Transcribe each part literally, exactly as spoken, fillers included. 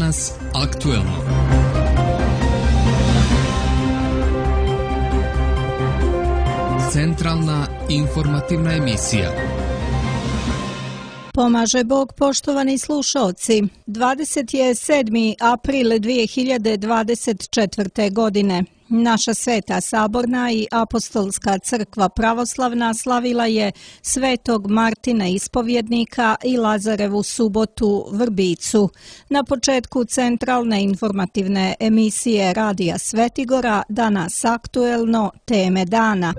Danas aktuelno. Centralna informativna emisija. Pomaže Bog, poštovani slušaoci. dvadeset sedmi april dvije hiljade dvadeset četvrte. godine. Naša Sveta Saborna i Apostolska crkva pravoslavna slavila je Svetog Martina Ispovjednika i Lazarevu subotu Vrbicu. Na početku centralne informativne emisije Radija Svetigora Danas aktuelno, teme dana.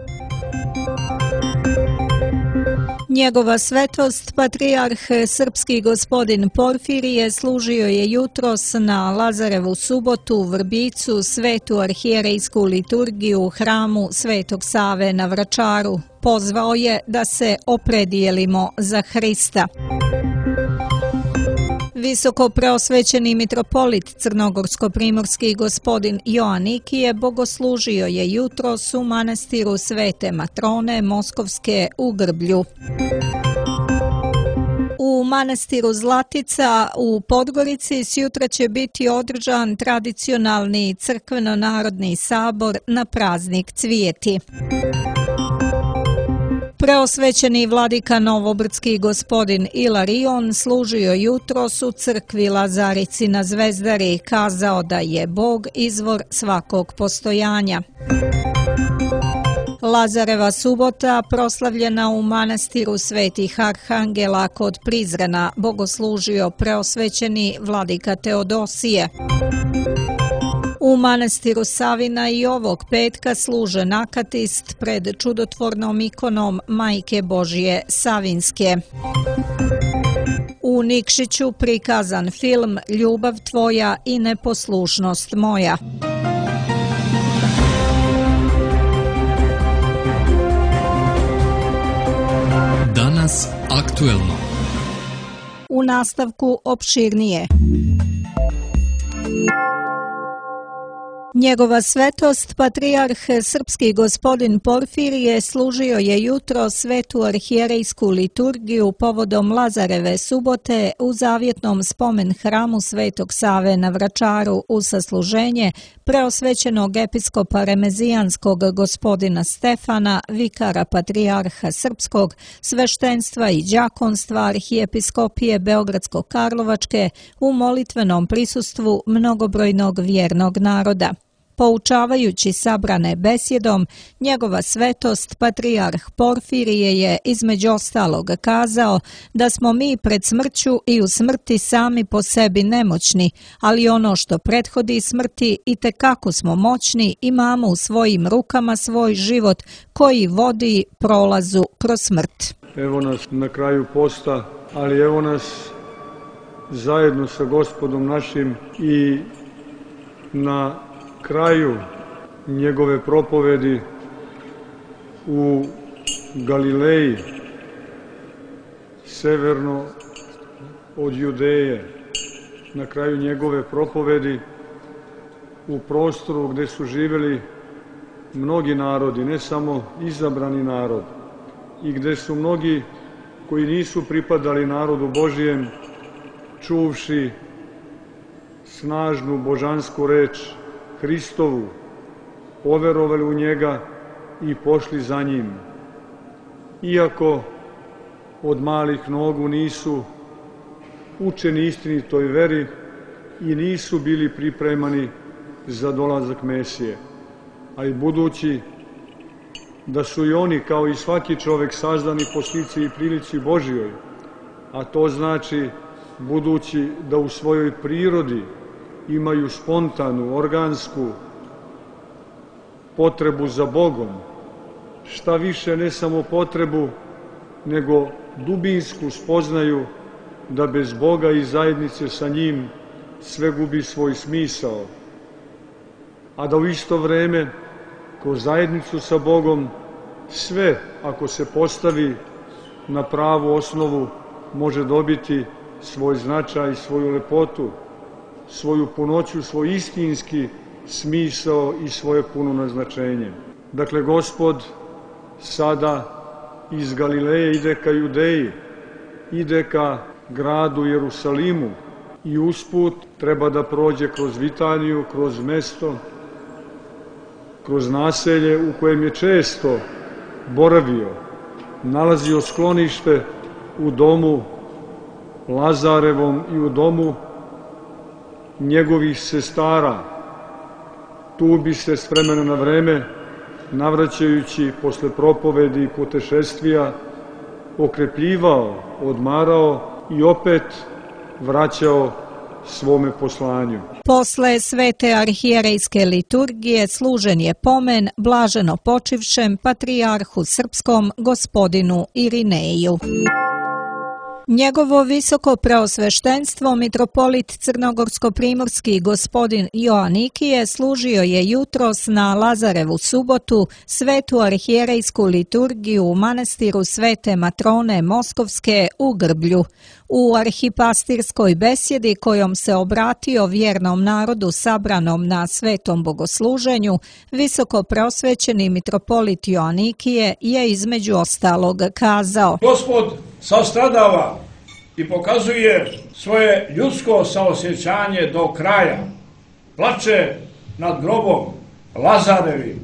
Njegova svetost, patrijarh srpski gospodin Porfirije, služio je jutros na Lazarevu subotu u Vrbicu svetu arhijerejsku liturgiju u hramu Svetog Save na Vračaru. Pozvao je da se opredijelimo za Hrista. Visoko preosvećeni mitropolit crnogorsko-primorski gospodin Joanikije bogoslužio je jutros u manastiru Svete Matrone Moskovske u Grblju. U manastiru Zlatica u Podgorici sjutra će biti održan tradicionalni crkveno-narodni sabor na praznik Cvijeti. Preosvećeni vladika Novobrdski gospodin Ilarion služio jutros u crkvi Lazarici na Zvezdari, kazao da je Bog izvor svakog postojanja. Lazareva subota proslavljena u manastiru Svetih Arhangela kod Prizrena, bogoslužio preosvećeni vladika Teodosije. U manastiru Savina i ovog petka služe nakatist pred čudotvornom ikonom Majke Božje Savinske. U Nikšiću prikazan film Ljubav tvoja i neposlušnost moja. Danas aktuelno. U nastavku opširnije. Njegova svetost, patrijarh srpski gospodin Porfirije, služio je jutro svetu arhijerejsku liturgiju povodom Lazareve subote u zavjetnom spomen hramu Svetog Save na Vračaru u sasluženje preosvećenog episkopa remezijanskog gospodina Stefana, vikara patrijarha srpskog, sveštenstva i đakonstva arhijepiskopije Beogradsko-Karlovačke u molitvenom prisustvu mnogobrojnog vjernog naroda. Poučavajući sabrane besjedom, njegova svetost, patrijarh Porfirije, je između ostalog kazao da smo mi pred smrću i u smrti sami po sebi nemoćni, ali ono što prethodi smrti itekako smo moćni, imamo u svojim rukama svoj život koji vodi prolazu kroz smrt. Evo nas na kraju posta, ali evo nas zajedno sa Gospodom našim i na kraju njegove propovedi u Galileji, severno od Judeje, na kraju njegove propovedi u prostoru gdje su živjeli mnogi narodi, ne samo izabrani narod, i gdje su mnogi koji nisu pripadali narodu Božijem, čuvši snažnu božansku reč Hristovu, poverovali u njega i pošli za njim. Iako od malih nogu nisu učeni istinitoj veri i nisu bili pripremani za dolazak Mesije, a i budući da su i oni, kao i svaki čovjek, sazdani po slici i prilici Božjoj, a to znači budući da u svojoj prirodi imaju spontanu, organsku potrebu za Bogom, šta više ne samo potrebu, nego dubinsku spoznaju da bez Boga i zajednice sa njim sve gubi svoj smisao, a da u isto vreme kroz zajednicu sa Bogom sve, ako se postavi na pravu osnovu, može dobiti svoj značaj, svoju lepotu, svoju punoću, svoj istinski smisao i svoje puno naznačenje. Dakle, Gospod sada iz Galileje ide ka Judeji, ide ka gradu Jerusalimu, i usput treba da prođe kroz Vitaniju, kroz mesto, kroz naselje u kojem je često boravio, nalazio sklonište u domu Lazarevom i u domu njegovih sestara. Tu bi se s vremena na vreme, navraćajući posle propovedi i putešestvija, okrepljivao, odmarao i opet vraćao svome poslanju. Posle svete arhijerejske liturgije služen je pomen blaženo počivšem patrijarhu srpskom gospodinu Irineju. Njegovo visoko preosveštenstvo mitropolit crnogorsko-primorski gospodin Joanikije služio je jutros na Lazarevu subotu svetu arhijerejsku liturgiju u manastiru Svete Matrone Moskovske u Grblju. U arhipastirskoj besjedi kojom se obratio vjernom narodu sabranom na svetom bogosluženju, visoko preosvećeni mitropolit Joanikije je između ostalog kazao: Gospod sastradava i pokazuje svoje ljudsko saosjećanje do kraja. Plače nad grobom Lazarevim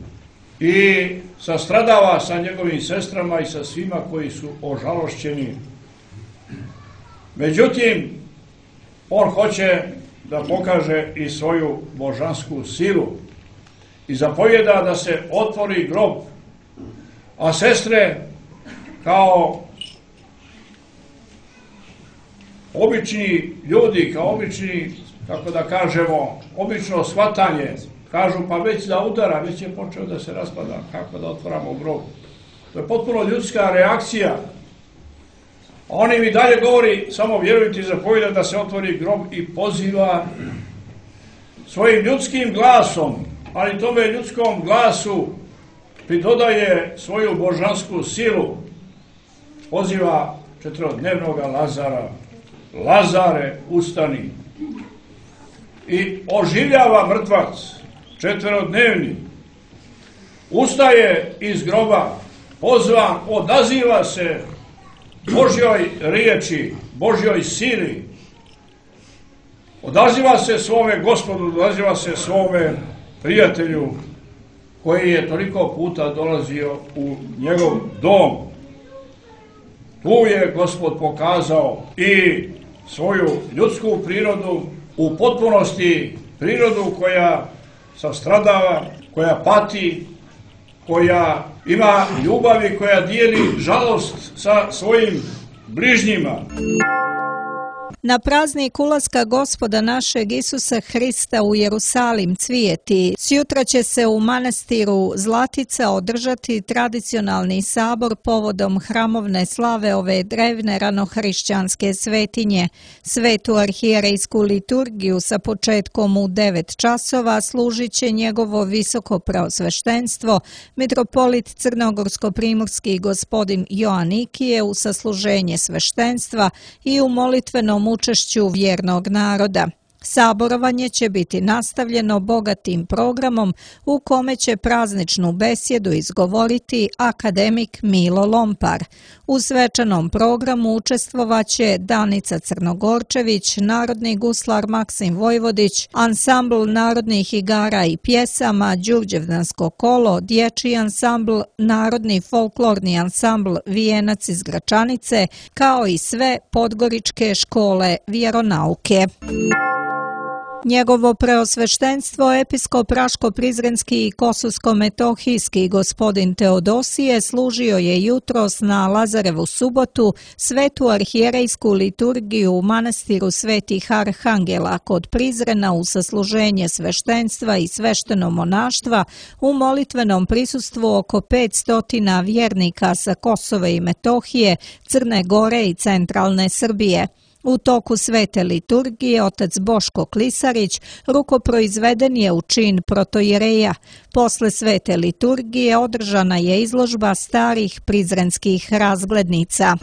i sastradava sa njegovim sestrama i sa svima koji su ožalošćeni. Međutim, on hoće da pokaže i svoju božansku silu i zapovjeda da se otvori grob, a sestre kao obični ljudi, kao obični, kako da kažemo, obično shvatanje, kažu pa već da udara, već je počeo da se raspada, kako da otvaramo grob. To je potpuno ljudska reakcija. On im i dalje govori, samo vjerujte i zapovjeda da se otvori grob i poziva svojim ljudskim glasom, ali tome ljudskom glasu pridodaje svoju božansku silu. Poziva četverodnevnog Lazara: Lazare, ustani. I oživljava mrtvac, četverodnevni. Ustaje iz groba, pozvan, odaziva se Božjoj riječi, Božjoj sili. Odaziva se svome Gospodu, odaziva se svome prijatelju koji je toliko puta dolazio u njegov dom. Tu je Gospod pokazao i svoju ljudsku prirodu, u potpunosti prirodu koja sastradava, koja pati, koja ima ljubav i koja dijeli žalost sa svojim bližnjima. Na praznik ulaska Gospoda našeg Isusa Hrista u Jerusalim cvijeti, sjutra će se u manastiru Zlatica održati tradicionalni sabor povodom hramovne slave ove drevne ranohrišćanske svetinje. Svetu arhijerejsku liturgiju sa početkom u devet časova služit će njegovo visoko preosveštenstvo, mitropolit crnogorsko-primorski gospodin Joanikije u sasluženje sveštenstva i u molitvenom učešću vjernog naroda. Saborovanje će biti nastavljeno bogatim programom u kome će prazničnu besjedu izgovoriti akademik Milo Lompar. U svečanom programu učestvovaće Danica Crnogorčević, narodni guslar Maksim Vojvodić, ansambl narodnih igara i pjesama Đurđevdansko kolo, dječji ansambl, narodni folklorni ansambl Vijenac iz Gračanice, kao i sve podgoričke škole vjeronauke. Njegovo preosveštenstvo episkop Raško-Prizrenski i Kosovsko-Metohijski gospodin Teodosije služio je jutros na Lazarevu subotu svetu arhijerejsku liturgiju u manastiru Svetih Arhangela kod Prizrena u sasluženje sveštenstva i svešteno monaštva u molitvenom prisustvu oko petsto vjernika sa Kosova i Metohije, Crne Gore i centralne Srbije. U toku svete liturgije otac Boško Klisarić rukoproizveden je u čin protojereja. Posle svete liturgije održana je izložba starih prizrenskih razglednica.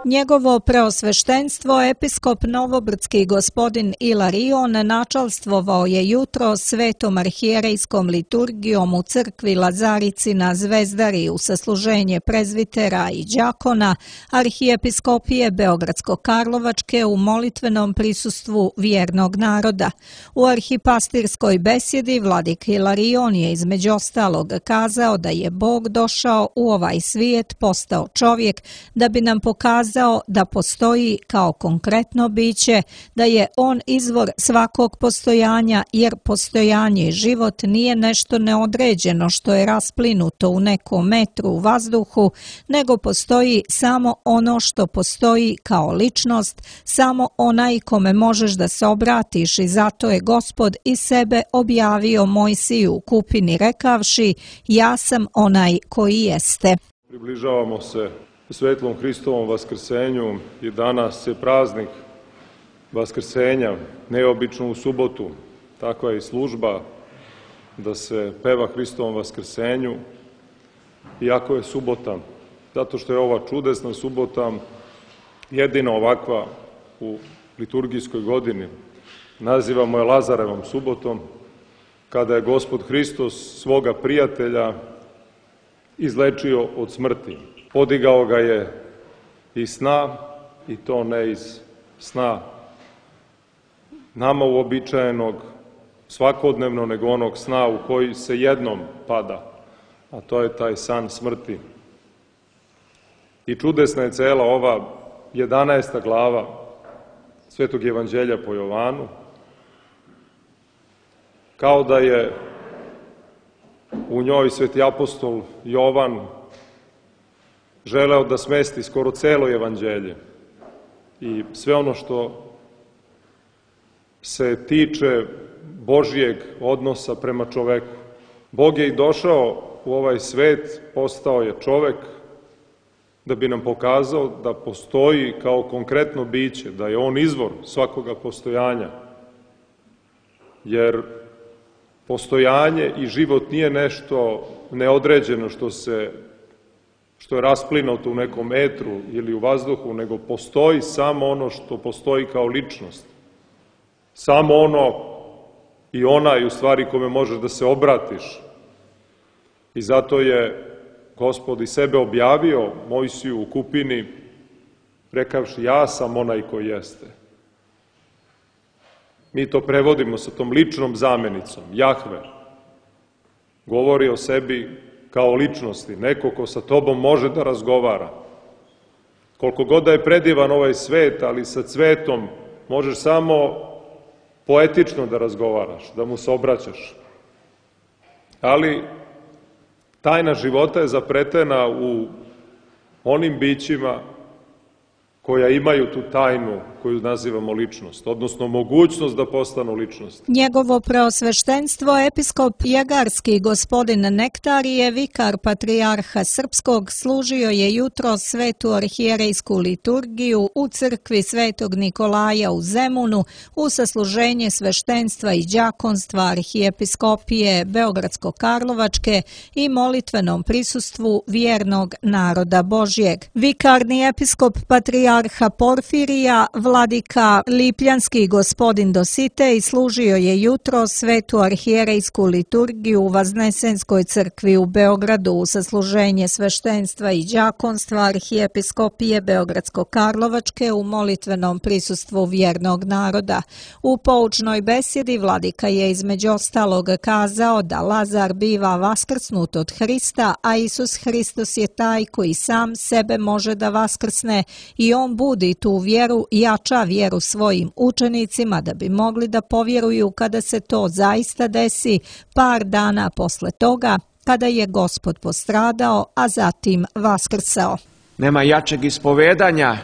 Njegovo preosveštenstvo, episkop Novobrdski gospodin Ilarion, načalstvovao je jutro svetom arhijerejskom liturgijom u crkvi Lazarici na Zvezdari u sasluženje prezvitera i đakona arhijepiskopije Beogradsko-Karlovačke u molitvenom prisustvu vjernog naroda. U arhipastirskoj besjedi vladik Ilarion je između ostalog kazao da je Bog došao u ovaj svijet, postao čovjek, da bi nam pokazao da postoji kao konkretno biće, da je on izvor svakog postojanja, jer postojanje i život nije nešto neodređeno što je rasplinuto u nekom metru u vazduhu, nego postoji samo ono što postoji kao ličnost, samo onaj kome možeš da se obratiš, i zato je Gospod i sebe objavio Mojsiju u kupini rekavši: ja sam onaj koji jeste. Približavamo se svetlom Hristovom vaskrsenju i danas je praznik vaskrsenja, neobično u subotu. Takva je i služba da se peva Hristovom vaskrsenju, iako je subota, zato što je ova čudesna subota jedina ovakva u liturgijskoj godini. Nazivamo je Lazarevom subotom, kada je Gospod Hristos svoga prijatelja izlečio od smrti. Podigao ga je iz sna, i to ne iz sna nama uobičajenog, svakodnevno, nego onog sna u koji se jednom pada, a to je taj san smrti. I čudesna je cela ova jedanaesta glava Svetog evanđelja po Jovanu, kao da je u njoj sveti apostol Jovan želeo da smesti skoro celo evanđelje i sve ono što se tiče Božijeg odnosa prema čoveku. Bog je i došao u ovaj svet, postao je čovek, da bi nam pokazao da postoji kao konkretno biće, da je on izvor svakoga postojanja. Jer postojanje i život nije nešto neodređeno što se što je rasplinuto u nekom etru ili u vazduhu, nego postoji samo ono što postoji kao ličnost. Samo ono i onaj, u stvari, kome možeš da se obratiš. I zato je Gospod i sebe objavio Mojsiju u kupini, rekavši: ja sam onaj koji jeste. Mi to prevodimo sa tom ličnom zamenicom, Jahve. Govori o sebi kao ličnosti, neko ko sa tobom može da razgovara. Koliko god da je predivan ovaj svet, ali sa cvetom možeš samo poetično da razgovaraš, da mu se obraćaš. Ali tajna života je zapretena u onim bićima koja imaju tu tajnu koju nazivamo ličnost, odnosno mogućnost da postanu ličnost. Njegovo preosveštenstvo, episkop Jegarski gospodin Nektarije, vikar patrijarha Srpskog, služio je jutro svetu arhijerejsku liturgiju u crkvi Svetog Nikolaja u Zemunu u sasluženje sveštenstva i đakonstva arhijepiskopije Beogradsko-Karlovačke i molitvenom prisustvu vjernog naroda Božjeg. Vikarni episkop patrijarha Porfirija, vladika Lipljanski gospodin Dositej, služio je jutro svetu arhijerejsku liturgiju u Vaznesenskoj crkvi u Beogradu u sasluženje sveštenstva i đakonstva arhijepiskopije Beogradsko-Karlovačke u molitvenom prisustvu vjernog naroda. U poučnoj besjedi vladika je između ostalog kazao da Lazar biva vaskrsnut od Hrista, a Isus Hristos je taj koji sam sebe može da vaskrsne, i on budi tu vjeru i jača vjeru svojim učenicima da bi mogli da povjeruju kada se to zaista desi par dana posle toga, kada je Gospod postradao, a zatim vaskrsao. Nema jačeg ispovedanja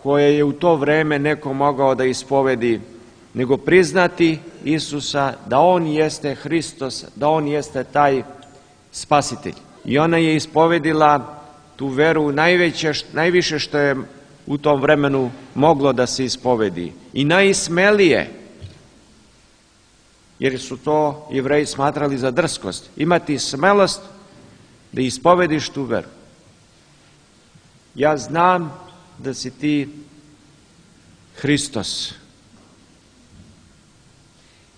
koje je u to vreme neko mogao da ispovedi, nego priznati Isusa da on jeste Hristos, da on jeste taj spasitelj. I ona je ispovedila tu veru najveće, najviše što je u tom vremenu moglo da se ispovedi. I najsmelije, jer su to Jevreji smatrali za drskost, imati smelost da ispovediš tu veru. Ja znam da si ti Hristos.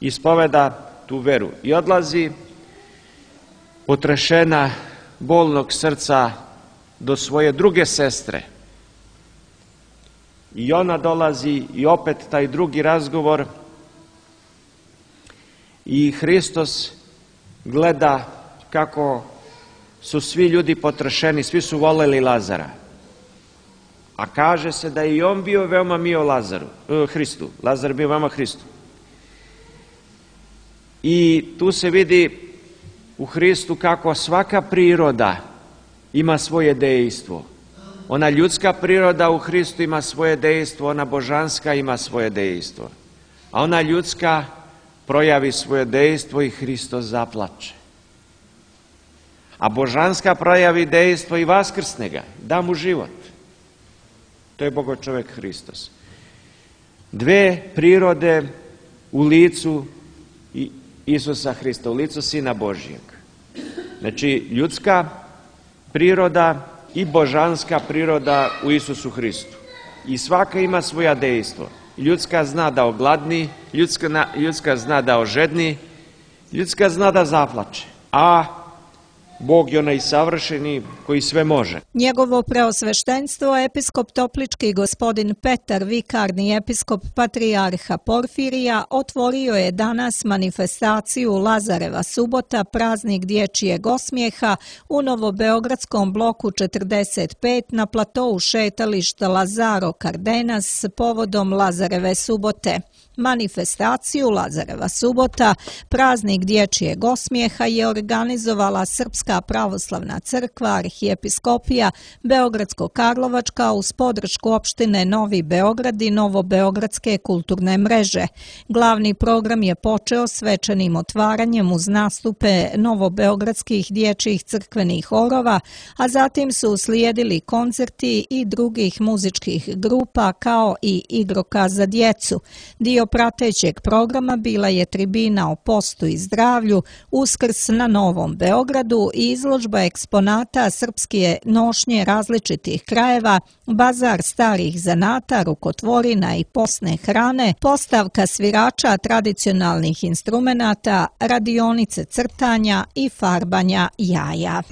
Ispoveda tu veru i odlazi potrešena bolnog srca do svoje druge sestre. I ona dolazi i opet taj drugi razgovor i Hristos gleda kako su svi ljudi potrešeni, svi su voleli Lazara. A kaže se da je i on bio veoma mio Lazaru, eh, Hristu. Lazar bio veoma Hristu. I tu se vidi u Hristu kako svaka priroda ima svoje dejstvo. Ona ljudska priroda u Hristu ima svoje dejstvo, ona božanska ima svoje dejstvo. A ona ljudska projavi svoje dejstvo i Hristos zaplače. A božanska projavi dejstvo i vaskrsne ga, da mu život. To je Bogo čovjek Hristos. Dve prirode u licu Isusa Hrista, u licu Sina Božijeg. Znači, ljudska priroda i božanska priroda u Isusu Hristu. I svaka ima svoja dejstvo. Ljudska zna da ogladni, ljudska, ljudska zna da ožedni, ljudska zna da zaplače. A Bog je onaj savršeni koji sve može. Njegovo preosveštenstvo, episkop Toplički gospodin Petar, vikarni episkop patrijarha Porfirija, otvorio je danas manifestaciju Lazareva subota, praznik dječjeg osmijeha u Novobeogradskom bloku četrdeset pet na platou šetališta Lazaro Cardenas povodom Lazareve subote. Manifestaciju Lazareva subota, praznik dječjeg osmijeha, je organizovala Srpska pravoslavna crkva, arhijepiskopija Beogradsko-Karlovačka uz podršku opštine Novi Beograd i Novobeogradske kulturne mreže. Glavni program je počeo svečanim otvaranjem uz nastupe novobeogradskih dječjih crkvenih horova, a zatim su uslijedili koncerti i drugih muzičkih grupa kao i igrokaz za djecu. Dio pratećeg programa bila je tribina o postu i zdravlju, Uskrs na Novom Beogradu i izložba eksponata srpske nošnje različitih krajeva, bazar starih zanata, rukotvorina i posne hrane, postavka svirača tradicionalnih instrumenata, radionice crtanja i farbanja jaja.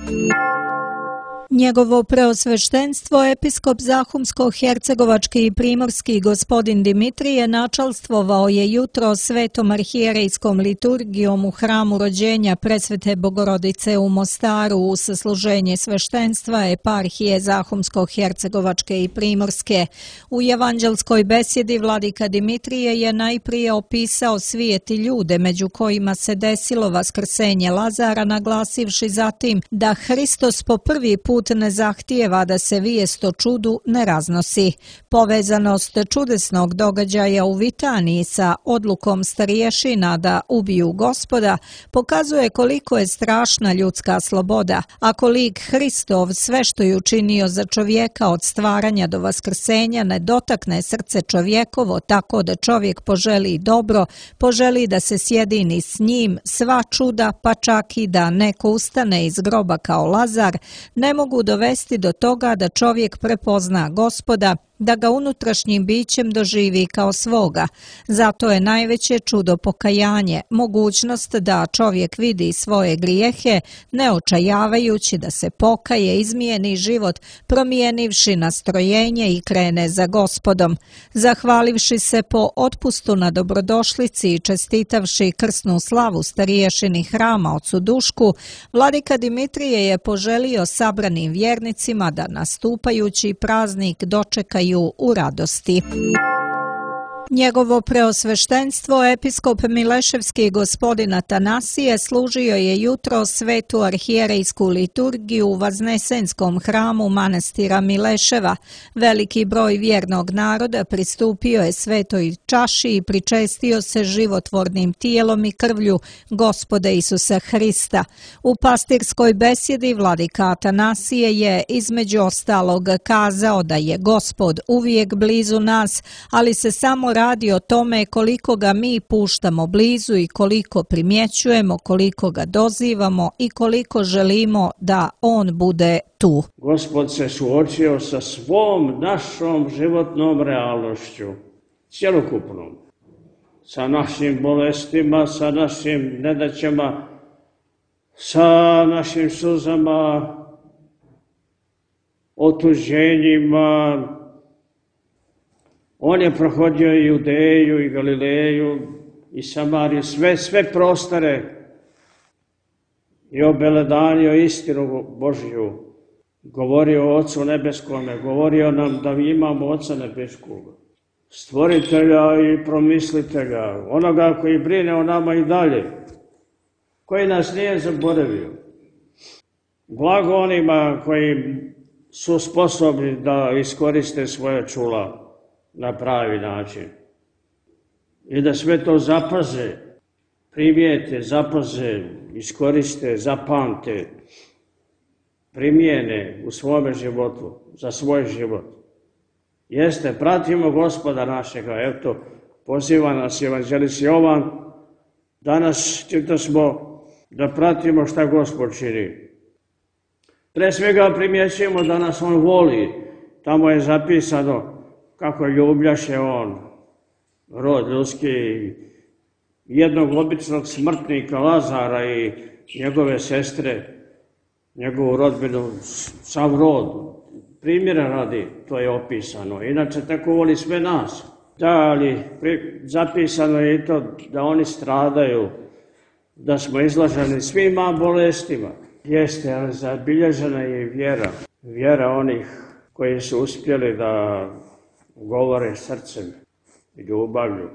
Njegovo preosveštenstvo, episkop Zahumsko-hercegovački i primorski gospodin Dimitrije, načalstvovao je jutro svetom arhijerejskom liturgijom u hramu rođenja Presvete Bogorodice u Mostaru u sasluženje sveštenstva eparhije Zahumsko-hercegovačke i primorske. U evanđelskoj besjedi vladika Dimitrije je najprije opisao svijet i ljude među kojima se desilo vaskrsenje Lazara, naglasivši zatim da Hristos po prvi put ne zahtijeva da se vijest o čudu ne raznosi. Povezanost čudesnog događaja u Vitaniji sa odlukom starješina da ubiju Gospoda pokazuje koliko je strašna ljudska sloboda. Ako lik Hristov sve što je učinio za čovjeka od stvaranja do vaskrsenja ne dotakne srce čovjekovo tako da čovjek poželi dobro, poželi da se sjedini s njim, sva čuda, pa čak i da neko ustane iz groba kao Lazar, ne mogu dovesti do toga da čovjek prepozna Gospoda, da ga unutrašnjim bićem doživi kao svoga. Zato je najveće čudo pokajanje, mogućnost da čovjek vidi svoje grijehe, ne očajavajući da se pokaje, izmijeni život, promijenivši nastrojenje i krene za Gospodom. Zahvalivši se po otpustu na dobrodošlici i čestitavši krsnu slavu stariješini hrama ocu Dušku, vladika Dimitrije je poželio sabranim vjernicima da nastupajući praznik dočekaju u radosti. Njegovo preosveštenstvo, episkop Mileševski gospodin Atanasije, služio je jutro svetu arhijerejsku liturgiju u Vaznesenskom hramu manastira Mileševa. Veliki broj vjernog naroda pristupio je svetoj čaši i pričestio se životvornim tijelom i krvlju Gospoda Isusa Hrista. U pastirskoj besjedi vladika Atanasije je između ostalog kazao da je Gospod uvijek blizu nas, ali se samo radi o tome koliko ga mi puštamo blizu i koliko primjećujemo, koliko ga dozivamo i koliko želimo da on bude tu. Gospod se suočio sa svom našom životnom realnošću, cjelokupnom, sa našim bolestima, sa našim nedaćama, sa našim suzama, otuđenjima. On je prohodio i Judeju i Galileju i Samariju, sve, sve prostore i obeledanio istinu Božju. Govorio o Ocu Nebeskome, govorio nam da mi imamo Oca Nebeskog, Stvoritelja i Promislitelja, onoga koji brine o nama i dalje, koji nas nije zaboravio. Blago onima koji su sposobni da iskoriste svoje čula na pravi način i da sve to zapaze, primijete, zapaze, iskoriste, zapamte, primijene u svome životu, za svoj život. Jeste, pratimo Gospoda našega, eto, poziva nas evanđelist Jovan, danas čito smo da pratimo šta Gospod čini. Pre svega primjećujemo da nas on voli, tamo je zapisano kako ljubljaše on rod ljudski, jednog običnog smrtnika Lazara i njegove sestre, njegovu rodbinu, sav rod, primjera radi, to je opisano. Inače, tako voli sve nas. Da, ali zapisano je i to da oni stradaju, da smo izlaženi svima bolestima. Jeste, ali zabilježena je i vjera. Vjera onih koji su uspjeli da govore srcem i ljubavlju.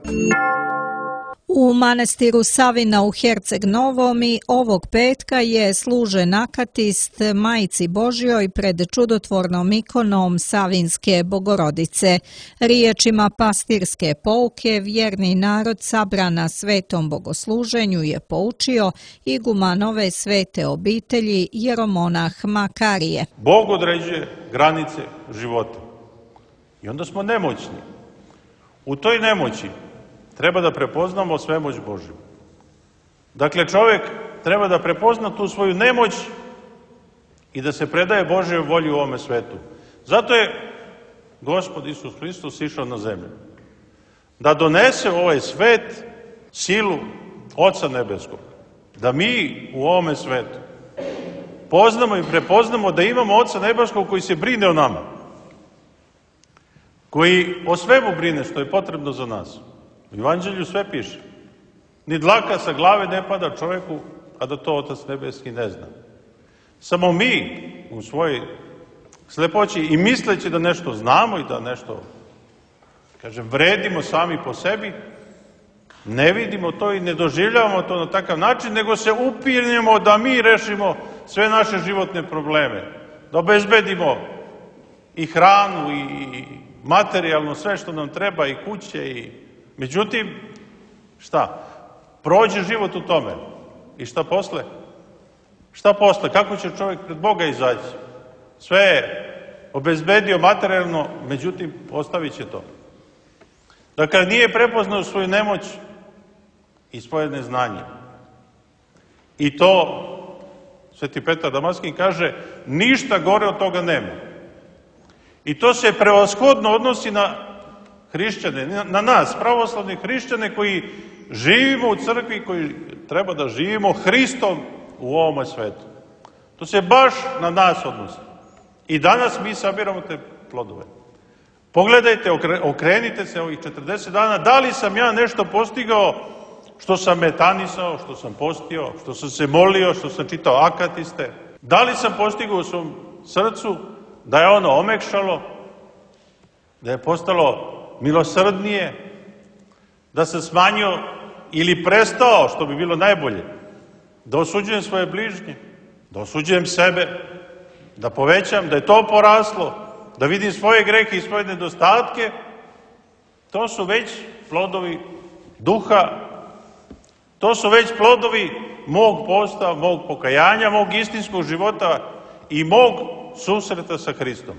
U manastiru Savina u Herceg Novom i ovog petka je služen akatist Majci Božjoj pred čudotvornom ikonom Savinske Bogorodice. Riječima pastirske pouke vjerni narod sabran na svetom bogosluženju je poučio iguman ove svete obitelji jeromonah Makarije. Bog određuje granice života i onda smo nemoćni. U toj nemoći treba da prepoznamo svemoć Božju. Dakle, čovjek treba da prepozna tu svoju nemoć i da se predaje Božjoj volji u ovome svetu. Zato je Gospod Isus Hristos išao na zemlju. Da donese u ovaj svet silu Oca Nebeskog. Da mi u ovome svetu poznamo i prepoznamo da imamo Oca Nebeskog koji se brine o nama. Koji o svemu brine što je potrebno za nas. U Evanđelju sve piše. Ni dlaka sa glave ne pada čovjeku, a da to Otac Nebeski ne zna. Samo mi u svojoj slepoći i misleći da nešto znamo i da nešto, kažem, vredimo sami po sebi, ne vidimo to i ne doživljavamo to na takav način, nego se upirnemo da mi rešimo sve naše životne probleme. Da obezbedimo i hranu i materijalno sve što nam treba i kuće i... Međutim, šta? Prođe život u tome. I šta posle? Šta posle? Kako će čovjek pred Boga izaći? Sve je obezbedio materijalno, međutim, ostavit će to. Dakle, nije prepoznao svoju nemoć i svoje neznanje. I to, Sveti Petar Damaskin kaže, ništa gore od toga nema. I to se prevashodno odnosi na hrišćane, na nas, pravoslavni hrišćane koji živimo u crkvi, koji treba da živimo Hristom u ovome svetu. To se baš na nas odnosi. I danas mi sabiramo te plodove. Pogledajte, okrenite se ovih četrdeset dana, da li sam ja nešto postigao što sam metanisao, što sam postio, što sam se molio, što sam čitao akatiste. Da li sam postigao u svom srcu da je ono omekšalo, da je postalo milosrdnije, da se smanjio ili prestao, što bi bilo najbolje, da osuđujem svoje bližnje, da osuđujem sebe, da povećam, da je to poraslo, da vidim svoje grehe i svoje nedostatke, to su već plodovi duha, to su već plodovi mog posta, mog pokajanja, mog istinskog života i mog susreta sa Hristom.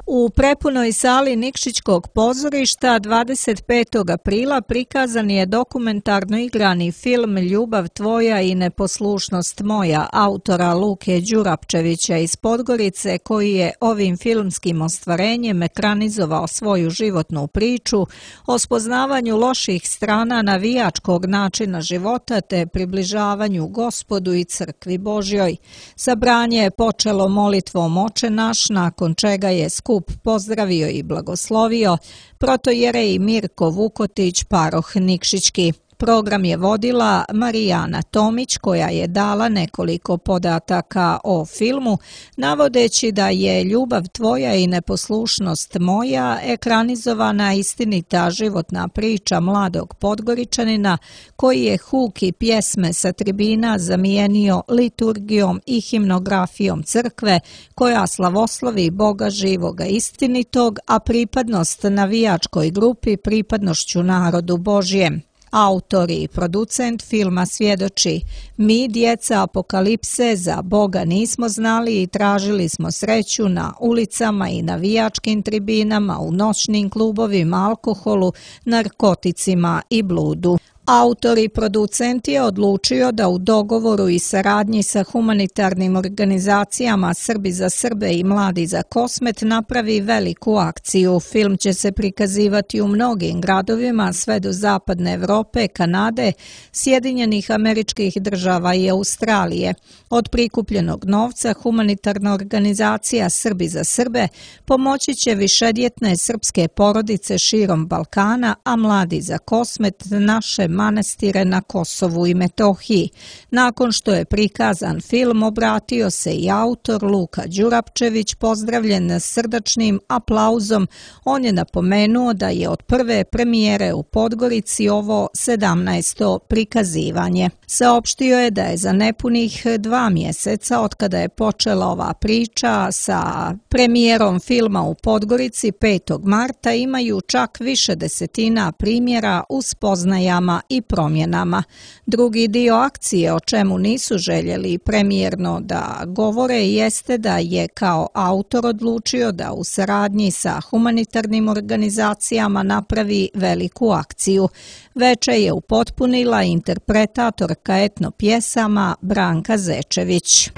U prepunoj sali Nikšićkog pozorišta dvadeset petog aprila prikazan je dokumentarno igrani film Ljubav tvoja i neposlušnost moja autora Luke Đurapčevića iz Podgorice, koji je ovim filmskim ostvarenjem ekranizovao svoju životnu priču o spoznavanju loših strana navijačkog načina života te približavanju Gospodu i Crkvi Božjoj. Sabranje je počelo molitvom Oče naš, nakon čega je skup pozdravio i blagoslovio protojerej Mirko Vukotić, paroh Nikšićki. Program je vodila Marijana Tomić, koja je dala nekoliko podataka o filmu, navodeći da je Ljubav tvoja i neposlušnost moja ekranizovana istinita životna priča mladog Podgoričanina koji je huk i pjesme sa tribina zamijenio liturgijom i himnografijom crkve koja slavoslovi Boga živoga istinitog, a pripadnost navijačkoj grupi pripadnošću narodu Božjem. Autor i producent filma svjedoči: mi, djeca apokalipse, za Boga nismo znali i tražili smo sreću na ulicama i navijačkim tribinama, u noćnim klubovima, alkoholu, narkoticima i bludu. Autor i producent je odlučio da u dogovoru i saradnji sa humanitarnim organizacijama Srbi za Srbe i Mladi za Kosmet napravi veliku akciju. Film će se prikazivati u mnogim gradovima sve do zapadne Evrope, Kanade, Sjedinjenih Američkih Država i Australije. Od prikupljenog novca humanitarna organizacija Srbi za Srbe pomoći će višedjetne srpske porodice širom Balkana, a Mladi za Kosmet naše manastire na Kosovu i Metohiji. Nakon što je prikazan film, obratio se i autor Luka Đurapčević, pozdravljen srdačnim aplauzom. On je napomenuo da je od prve premijere u Podgorici ovo sedamnaesto prikazivanje. Saopštio je da je za nepunih dva mjeseca od kada je počela ova priča sa premijerom filma u Podgorici petog marta imaju čak više desetina primjera u spoznajama i promjenama. Drugi dio akcije, o čemu nisu željeli premijerno da govore, jeste da je kao autor odlučio da u saradnji sa humanitarnim organizacijama napravi veliku akciju. Veče je upotpunila interpretatorka etno pjesama Branka Zečević.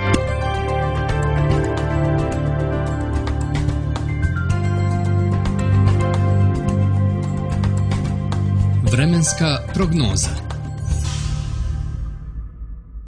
Vremenska prognoza.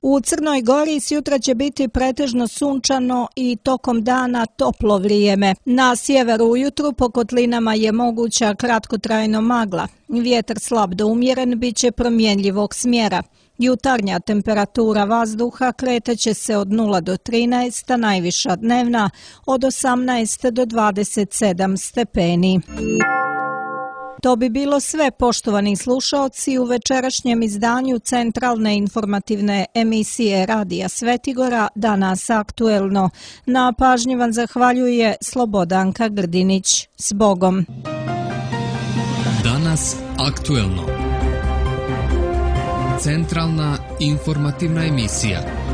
U Crnoj Gori sjutra će biti pretežno sunčano i tokom dana toplo vrijeme. Na sjeveru ujutru po kotlinama je moguća kratkotrajno magla. Vjetar slab do umjeren bit će promjenljivog smjera. Jutarnja temperatura vazduha kretaće se od nula do trinaest, a najviša dnevna od osamnaest do dvadeset sedam stepeni. To bi bilo sve, poštovani slušaoci, u večerašnjem izdanju centralne informativne emisije Radija Svetigora Danas aktuelno. Na pažnji vam zahvaljuje Slobodanka Grdinić. S Bogom! Danas aktuelno. Centralna informativna emisija.